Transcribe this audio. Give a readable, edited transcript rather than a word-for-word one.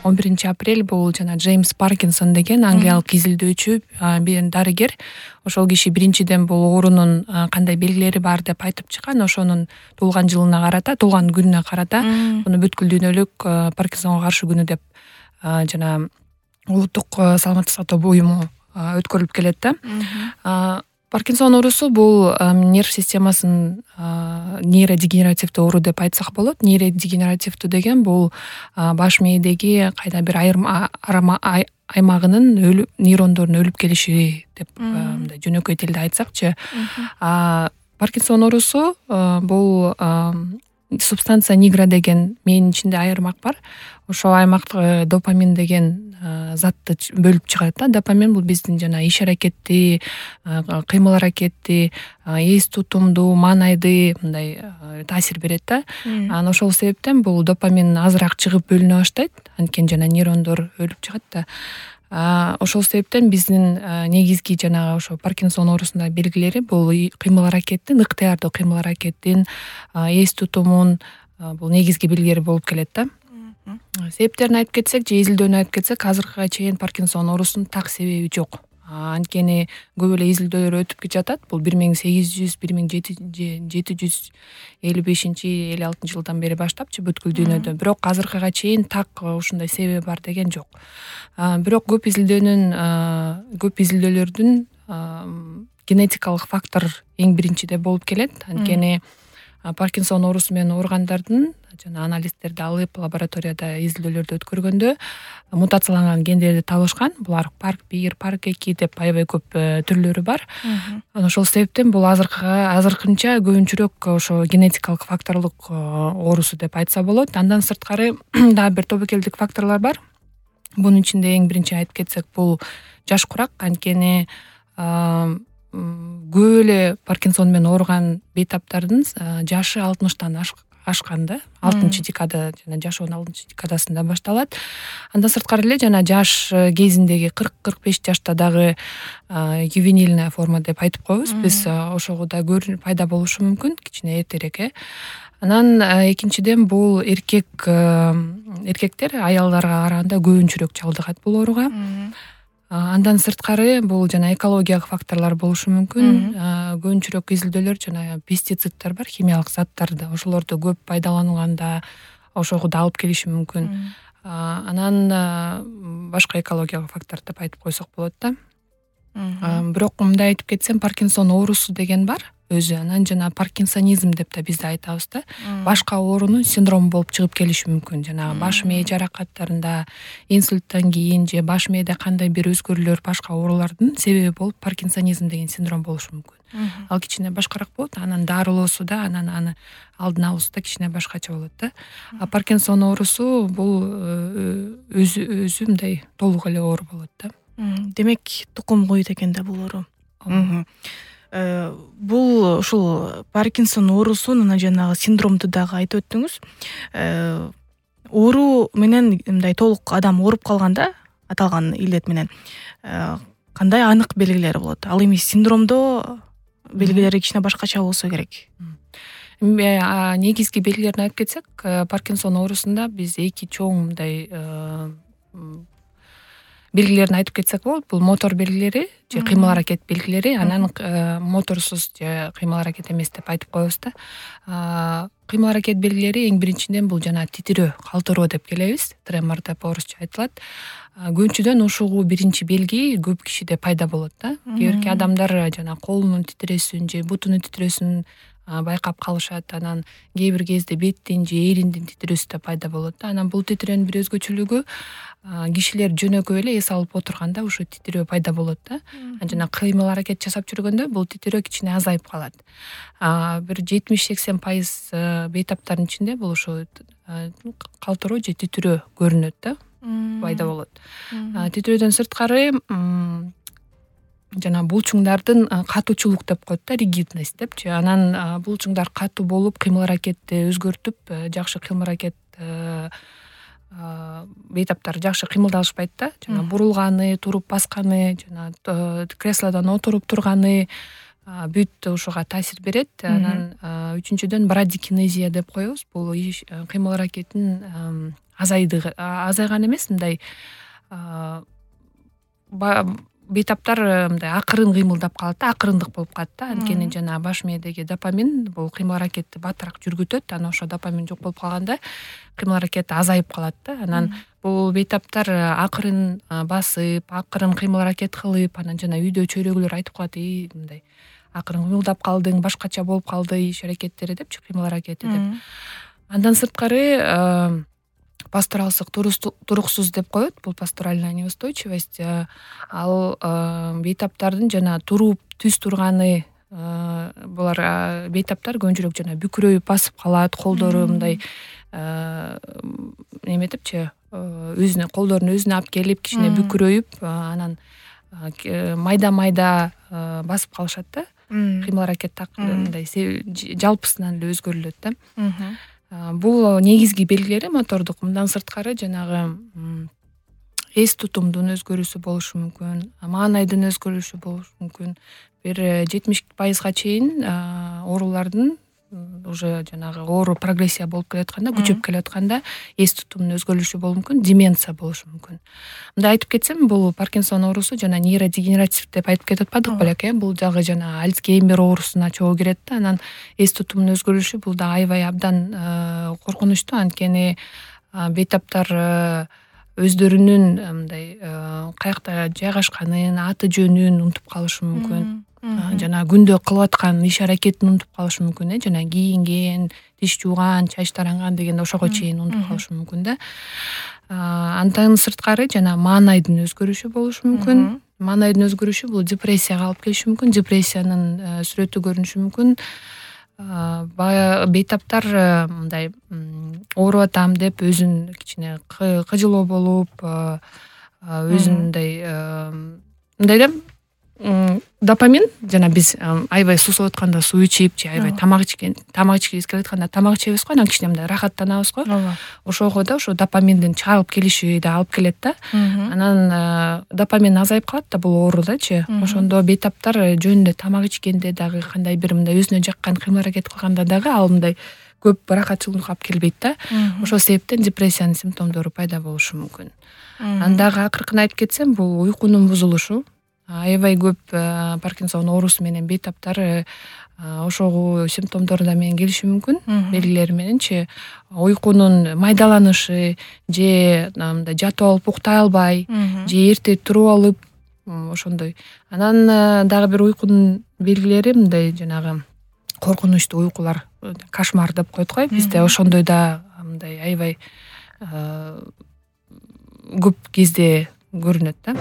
11 апрель бул жана Джеймс Паркинсон деген англиялык изилдөөчү дарыгер. Ошол киши биринчиден бул оорунун кандай белгилери бар деп айтып чыккан. Ошонун туулган жылына карата, туулган күнүнө карата муну бүткүл дүйнөлүк Паркинсонго каршы күнү деп жана улуттук саламаттык сактоо буюму өткөрүлүп келет да. Паркинсон оорусу бул нерв системасынын нейродегенеративдүү оору деп айтсак болот. Нейродегенеративдүү деген бул баш мээдеги кайда бир аймагынын нейрондорунун өлүп келиши деп мындай жөнөкөй тилде айтсакчы. Паркинсон оорусу бул субстанция нигра деген мээнин ичинде айырмак бар. Ошол аймакта допамин деген затты бөлүп чыгат да. Допамин бул биздин жана иш аракетти, кыймыл аракетти, эс тутумду, маанайды мындай таасир берет да. Анан ошол себептен бул допамин азыраак чыгып бөлүнө баштайт. Анткени жана нейрондор өлүп чыгат да. Ошол себептен биздин негизги жанагы ошо Паркинсон оорусундагы белгилери бул кыймыл аракеттин, ыктыярдуу кыймыл аракеттин, эс тутумун бул негизги белгилери болуп келет да. Себептерин айтып кетсек, же изилдөөнү айтып кетсек, азыркыга чейин Паркинсон оорусунун так себеби жок. Анткени көп эле изилдөөлөр өтүп жатат. Бул 1800-1755-56 жылдан бери баштапчы бүткүл дүйнөдө. Бирок азыркыга чейин так ушундай себеби бар деген жок. Бирок көп изилдөөлөрдүн генетикалык фактор эң биринчиде болуп келет. Анткени Паркинсон оорусу менен ооругандардын жана анализдерди алып лабораторияда изилдөөлөрдү өткөргөндө мутацияланган гендерди табышкан. Булар PARC1, PARC2 деп аябай көп түрлөрү бар. Ошол себептен бул азыркынча көбүнчөрөөк ошо генетикалык факторлук оорусу деп айтса болот. Андан сырткары дагы бир тобокелдик факторлор бар. Бунун ичинде эң биринчи айтып кетсек, бул жаш курак. Анткени көп эле Паркинсон менен ооруган бейтаптардын жашы 60-тан ашкан да. 6-декада жана жашоонун 6-декадасында башталат. Андан сырткары эле жана жаш кезиндеги 40-45 жашта дагы ювенильная форма деп айтып коебуз. Биз ошого да пайда болушу мүмкүн, кичине эртерээк. Анан экинчиден бул эркектер аялдарга караганда көбүнчөрөөк чалдыгат бул ооруга. Андан сырткары бул жана экологиялык факторлор болушу мүмкүн. Көбүнчөрөөк изилдөөлөр жана пестициддер бар, химиялык заттарды. Ошолорду көп пайдаланганда ошого да алып келиши мүмкүн. Анан башка экологиялык фактор деп айтып койсок болот да. Бирок мындай айтып кетсем, Паркинсон оорусу деген бар өзү. Анан жана паркинсонизм деп да бизде айтабыз да. Башка оорунун синдрому болуп чыгып келиши мүмкүн. Жанагы баш мээ жаракаттарында, инсульттан кийин же баш мээде кандай бир өзгөрүүлөр, башка оорулардын себеби болуп паркинсонизм деген синдром болушу мүмкүн. Ал кичине башкараак болот. Анан дарылоосу да, анан аны алдын алуусу да кичине башкача болот да. Паркинсон оорусу бул өзү мындай толук эле оору болот да. Демек, тукум куйут экен да бул оору. Бул ушул Паркинсон оорусун анан жанагы синдромду дагы айтып өттүңүз. Оору менен мындай толук адам ооруп калганда, аталган илет менен кандай анык белгилери болот? Ал эми синдромдо белгилери кичине башкача болсо керек. Негизги белгилерин айтып кетсек, Паркинсон оорусунда биз эки чоң мындай белгилерин айтып кетсек болот. Бул мотор белгилери же кыймыл аракет белгилери, анан моторсуз же кыймыл аракет эмес деп айтып коебуз да. Кыймыл аракет белгилери эң биринчиден бул жана титирөө, калтыроо деп келебиз. Тремор деп орусча айтылат. Көбүнчөдөн ушугу биринчи белги көп кишиде пайда болот да. Кээ бирки адамдар жана колунун титирөөсүн же бутунун титирөөсүн байкап калышат. Анан кээ бир кезде беттин же эриндин титирөөсү да пайда болот да. Анан бул титирөөнүн бир өзгөчөлүгү кишилер жөнөкөй эле эс алып отурганда ушу титирөө пайда болот да. Жана кыймыл аракет жасап жүргөндө бул титирөө кичине азайып калат. Бир 70-80% бейтаптардын ичинде бул ушу калтыроо же титирөө көрүнөт да, пайда болот. Титирөөдөн сырткары жана булчуңдардын катуучулук деп коет да, ригидность депчи. Анан булчуңдар катуу болуп, кыймыл аракетти өзгөртүп, жакшы кыймыл аракет бейтаптар жакшы кыймылдашпайт да. Жана бурулганы, туруп басканы, жана креслодон отуруп турганы, бүт ушуга таасир берет. Анан үчүнчүдөн брадикинезия деп коебуз. Бул кыймыл аракеттин азайган эмес, мындай бейтаптар мындай акырын кыймылдап калат да, акырындык болуп калат да. Анткени жана баш мээдеги допамин бул кыймыл аракетти баттыраак жүргүтөт. Анан ошо допамин жок болуп калганда кыймыл аракет азайып калат да. Анан бул бейтаптар акырын басып, акырын кыймыл аракет кылып, анан жана үйдө чөйрөгүлөр айтып калат: мындай акырын кыймылдап калдың, башкача болуп калды иш аракеттери депчи, кыймыл аракети деп. Андан сырткары пасторалдык туруксуз деп коет. Бул пасторальная неустойчивость. Ал бейтаптардын жана туруп түз турганы, булар бейтаптар көбүнчөрөөк жана бүкүрөйүп басып калат, колдору мындай неметипчи, өзүнө колдорун өзүнө алып келип кичине бүкүрөйүп, анан майда басып калышат да. Кыймыл аракет мындай жалпысынан эле өзгөрүлөт да. Бул негизги белгилери мотордук. Мындан сырткары жанагы эс тутумдун өзгөрүүсү болушу мүмкүн, маанайдын өзгөрүшү болушу мүмкүн. Бир 70% чейин оорулардын уже жанагы оору прогрессия болуп келатканда, күчөп келатканда эс тутумдун өзгөрүшү болушу мүмкүн, деменция болушу мүмкүн. Мындай айтып кетсем, бул Паркинсон оорусу жана нейродегенератив деп айтып кетип атпадык белек, бул дагы жана Альцгеймер оорусуна чогуу кирет да. Анан эс тутумдун өзгөрүшү бул да аябай абдан коркунучтуу, анткени бейтаптар өздөрүнүн мындай каякта жайгашканын, аты жөнүн унутуп калышы мүмкүн. Жана күндө кылып аткан иш аракетин унутуп калышы мүмкүн, жана кийинген, тиш жууган, чач таранган дегенде ошого чейин унутуп калышы мүмкүн да. Андан сырткары жана маанайдын өзгөрүшү болушу мүмкүн. Маанайдын өзгөрүшү бул депрессияга алып келиши мүмкүн, депрессиянын сүрөтү көрүнүшү мүмкүн. Баягы бейтаптар мындай ооруп атам деп өзүн кичине кыжылоо болуп, өзүн мындай да, допамин жана биз аябай сусап атканда суу ичип же аябай тамак ичкибиз келатканда тамак ичебиз го, анан кичине мындай рахаттанабыз го. Ошого да ошо допаминдин чыгарылып келиши да алып келет да. Анан допамин азайып калат да, бул оорудачы. Ошондо бейтаптар жөнүндө тамак ичкенде дагы, кандай бир мындай өзүнө жаккан кыймыл аракет кылганда дагы ал мындай көп ырахатчылыкка алып келбейт да. Ошол себептен депрессиянын симптомдору пайда болушу мүмкүн. Анан дагы акыркын айтып кетсем, бул уйкунун бузулушу. Аябай көп Паркинсон оорусу менен бейтаптар ошогу симптомдору менен келиши мүмкүн, белгилери мененчи. Уйкунун майдаланышы, же мындай жатып алып уктай албай, же эрте туруп алып, ошондой. Анан дагы бир уйкунун белгилери мындай жанагы коркунучтуу уйкулар, кошмар деп коет го бизде, ошондой да мындай аябай көп кезде көрүнөт да.